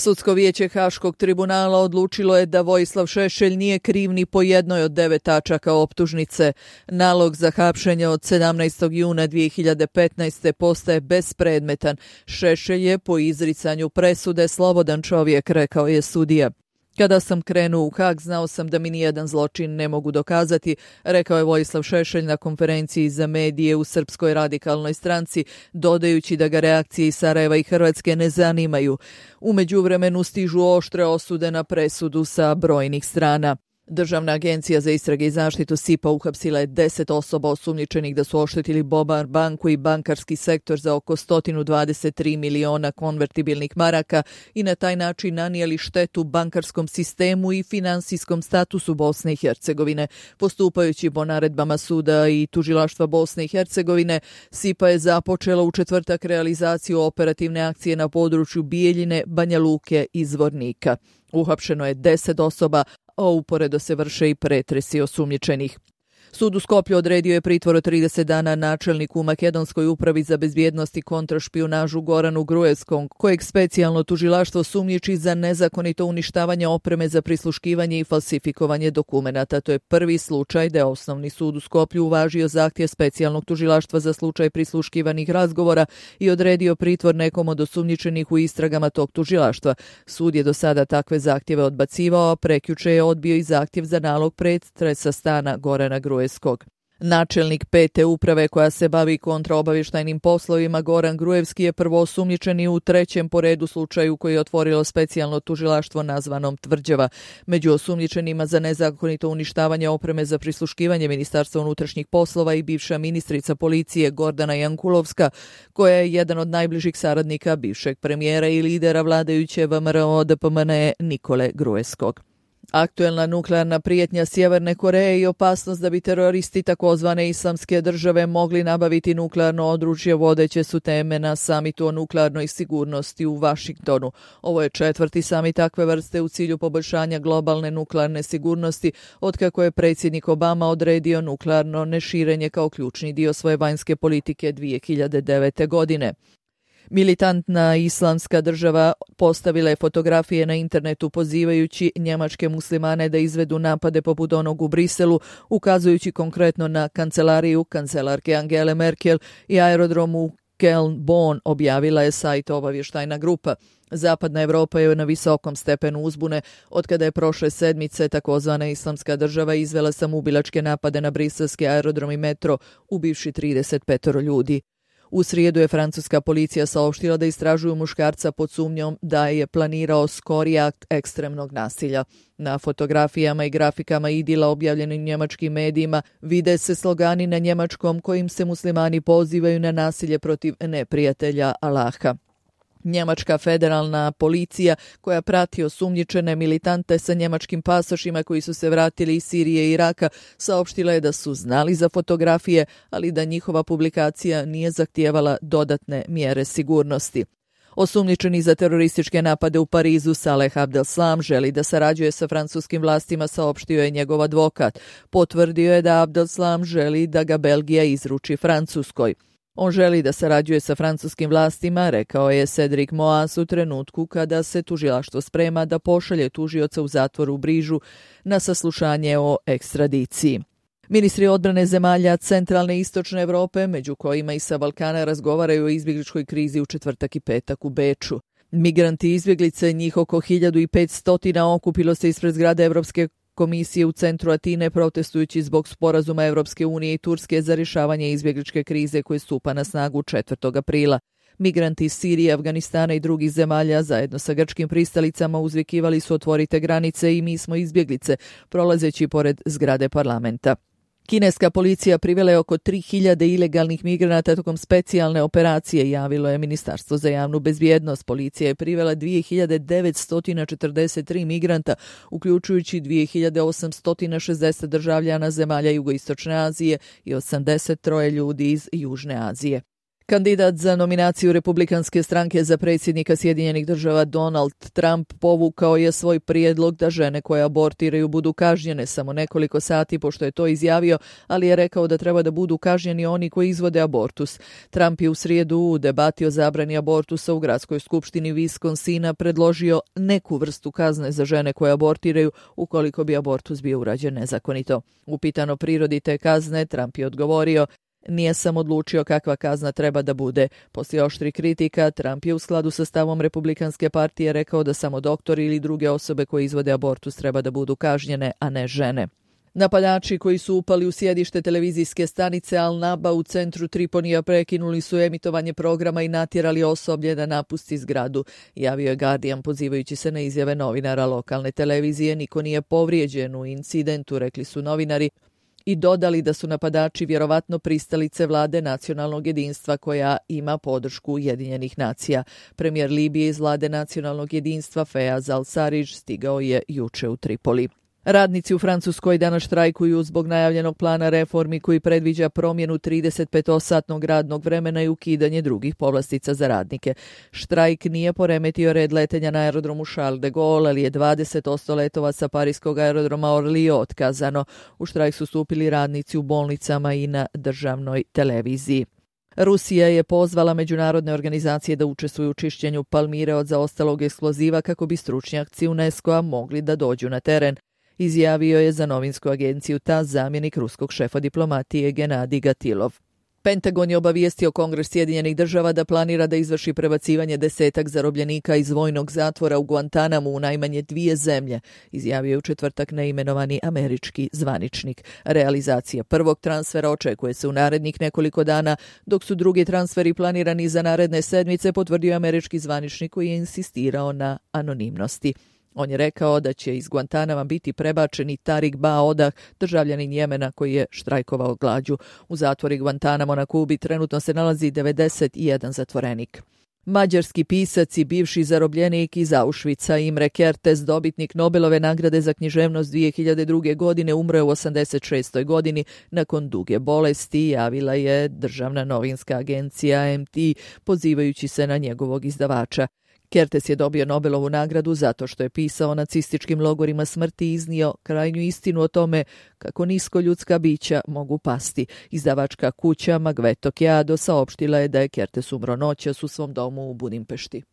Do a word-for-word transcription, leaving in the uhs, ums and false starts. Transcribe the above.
Sudsko vijeće Haškog tribunala odlučilo je da Vojislav Šešelj nije kriv ni po jednoj od devet tačaka optužnice. Nalog za hapšenje od sedamnaestog juna dvije hiljade petnaeste. postaje bespredmetan. Šešelj je po izricanju presude slobodan čovjek, rekao je sudija. Kada sam krenuo u Hag, znao sam da mi nijedan zločin ne mogu dokazati, rekao je Vojislav Šešelj na konferenciji za medije u Srpskoj radikalnoj stranci, dodajući da ga reakcije iz Sarajeva i Hrvatske ne zanimaju. U međuvremenu stižu oštre osude na presudu sa brojnih strana. Državna agencija za istrage i zaštitu S I P A uhapsila je deset osoba osumnjičenih da su oštetili Bobar banku i bankarski sektor za oko sto dvadeset tri miliona konvertibilnih maraka i na taj način nanijeli štetu bankarskom sistemu i finansijskom statusu Bosne i Hercegovine. Postupajući po naredbama suda i tužilaštva Bosne i Hercegovine, S I P A je započela u četvrtak realizaciju operativne akcije na području Bijeljine, Banja Luke i Zvornika. Uhapšeno je deset osoba, a uporedo se vrše i pretresi osumnjičenih. Sud u Skoplju odredio je pritvor od trideset dana načelniku u Makedonskoj upravi za bezbjednost i kontrašpijunažu Goranu Gruevskom, kojeg specijalno tužilaštvo sumnjiči za nezakonito uništavanje opreme za prisluškivanje i falsifikovanje dokumenata. To je prvi slučaj da je Osnovni sud u Skoplju uvažio zahtjev specijalnog tužilaštva za slučaj prisluškivanih razgovora i odredio pritvor nekom od osumnjičenih u istragama tog tužilaštva. Sud je do sada takve zahtjeve odbacivao, a prekjuče je odbio i zahtjev za nalog pretresa stana Gorana Gruevskog. Načelnik pete uprave koja se bavi kontraobavještajnim poslovima Goran Gruevski je prvo osumnjičeni u trećem po redu slučaju koji je otvorilo specijalno tužilaštvo nazvanom Tvrđava. Među osumnjičenima za nezakonito uništavanje opreme za prisluškivanje Ministarstva unutrašnjih poslova i bivša ministrica policije Gordana Jankulovska, koja je jedan od najbližih saradnika bivšeg premijera i lidera vladajuće V M R O D P M N E Nikole Gruevskog. Aktuelna nuklearna prijetnja Sjeverne Koreje i opasnost da bi teroristi takozvane islamske države mogli nabaviti nuklearno oružje vodeće su teme na samitu o nuklearnoj sigurnosti u Vašingtonu. Ovo je četvrti samit takve vrste u cilju poboljšanja globalne nuklearne sigurnosti otkako je predsjednik Obama odredio nuklearno neširenje kao ključni dio svoje vanjske politike dvije hiljade devete. godine. Militantna islamska država postavila je fotografije na internetu pozivajući njemačke muslimane da izvedu napade poput onog u Briselu, ukazujući konkretno na kancelariju kancelarke Angele Merkel i aerodrom u Köln-Bonn, objavila je sajt obavještajna grupa. Zapadna Evropa je na visokom stepenu uzbune otkada je prošle sedmice takozvana islamska država izvela samoubilačke napade na briselski aerodrom i metro, ubivši trideset pet ljudi. U srijedu je francuska policija saopštila da istražuju muškarca pod sumnjom da je planirao skori akt ekstremnog nasilja. Na fotografijama i grafikama idila objavljenim njemačkim medijima vide se slogani na njemačkom kojim se muslimani pozivaju na nasilje protiv neprijatelja Allaha. Njemačka federalna policija koja prati osumnjičene militante sa njemačkim pasošima koji su se vratili iz Sirije i Iraka saopštila je da su znali za fotografije, ali da njihova publikacija nije zahtijevala dodatne mjere sigurnosti. Osumnjičeni za terorističke napade u Parizu Saleh Abdeslam želi da sarađuje sa francuskim vlastima, saopštio je njegov advokat. Potvrdio je da Abdeslam želi da ga Belgija izruči Francuskoj. On želi da sarađuje sa francuskim vlastima, rekao je Cedric Moas u trenutku kada se tužilaštvo sprema da pošalje tužioca u zatvor u Brižu na saslušanje o ekstradiciji. Ministri odbrane zemalja centralne i istočne Evrope, među kojima i sa Balkana, razgovaraju o izbjegličkoj krizi u četvrtak i petak u Beču. Migranti i izbjeglice, njih oko hiljadu petsto, okupilo se ispred zgrade Evropske komisije u centru Atine protestujući zbog sporazuma Evropske unije i Turske za rješavanje izbjegličke krize koje stupa na snagu četvrtog aprila. Migranti iz Sirije, Afganistana i drugih zemalja zajedno sa grčkim pristalicama uzvikivali su otvorite granice i mi smo izbjeglice, prolazeći pored zgrade parlamenta. Kineska policija privela je oko tri hiljade ilegalnih migranata tokom specijalne operacije, javilo je Ministarstvo za javnu bezbjednost. Policija je privela dvije hiljade devetsto četrdeset tri migranta, uključujući dvije hiljade osamsto šezdeset državljana zemalja jugoistočne Azije i osamdeset tri ljudi iz Južne Azije. Kandidat za nominaciju Republikanske stranke za predsjednika Sjedinjenih država Donald Trump povukao je svoj prijedlog da žene koje abortiraju budu kažnjene samo nekoliko sati pošto je to izjavio, ali je rekao da treba da budu kažnjeni oni koji izvode abortus. Trump je u srijedu u debati o zabrani abortusa u gradskoj skupštini Wisconsina predložio neku vrstu kazne za žene koje abortiraju ukoliko bi abortus bio urađen nezakonito. Upitano prirodi te kazne, Trump je odgovorio: "Nije sam odlučio kakva kazna treba da bude." Poslije oštri kritika, Trump je u skladu sa stavom Republikanske partije rekao da samo doktori ili druge osobe koje izvode abortus treba da budu kažnjene, a ne žene. Napadači koji su upali u sjedište televizijske stanice Al Naba u centru Triponija prekinuli su emitovanje programa i natjerali osoblje da napusti zgradu, javio je Guardian pozivajući se na izjave novinara lokalne televizije. Niko nije povrijeđen u incidentu, rekli su novinari, i dodali da su napadači vjerovatno pristalice vlade nacionalnog jedinstva koja ima podršku Ujedinjenih nacija. Premijer Libije iz vlade nacionalnog jedinstva Fejaz al-Sarridž stigao je juče u Tripoli. Radnici u Francuskoj danas štrajkuju zbog najavljenog plana reformi koji predviđa promjenu tridesetpetosatnog radnog vremena i ukidanje drugih povlastica za radnike. Štrajk nije poremetio red letenja na aerodromu Charles de Gaulle, ali je dvadeset posto letova sa parijskog aerodroma Orly otkazano. U štrajk su stupili radnici u bolnicama i na državnoj televiziji. Rusija je pozvala međunarodne organizacije da učestvuju u čišćenju Palmire od zaostalog eksploziva kako bi stručnjaci UNESCO-a mogli da dođu na teren, izjavio je za novinsku agenciju T A S zamjenik ruskog šefa diplomatije Genadij Gatilov. Pentagon je obavijestio Kongres Sjedinjenih država da planira da izvrši prebacivanje desetak zarobljenika iz vojnog zatvora u Guantanamu u najmanje dvije zemlje, izjavio je u četvrtak neimenovani američki zvaničnik. Realizacija prvog transfera očekuje se u narednih nekoliko dana, dok su drugi transferi planirani za naredne sedmice, potvrdio američki zvaničnik koji je insistirao na anonimnosti. On je rekao da će iz Guantanama biti prebačeni Tarik Ba Odah, državljanin Jemena koji je štrajkovao glađu. U zatvori Guantanamo na Kubi trenutno se nalazi devedeset jedan zatvorenik. Mađarski pisac i bivši zarobljenik iz Auschwitza Imre Kertész, dobitnik Nobelove nagrade za književnost dvije hiljade druge. godine, umro je u osamdeset šestoj godini nakon duge bolesti, javila je državna novinska agencija M T, pozivajući se na njegovog izdavača. Kertész je dobio Nobelovu nagradu zato što je pisao o nacističkim logorima smrti i iznio krajnju istinu o tome kako nisko ljudska bića mogu pasti. Izdavačka kuća Magveto Kjado saopštila je da je Kertész umro noćas u svom domu u Budimpešti.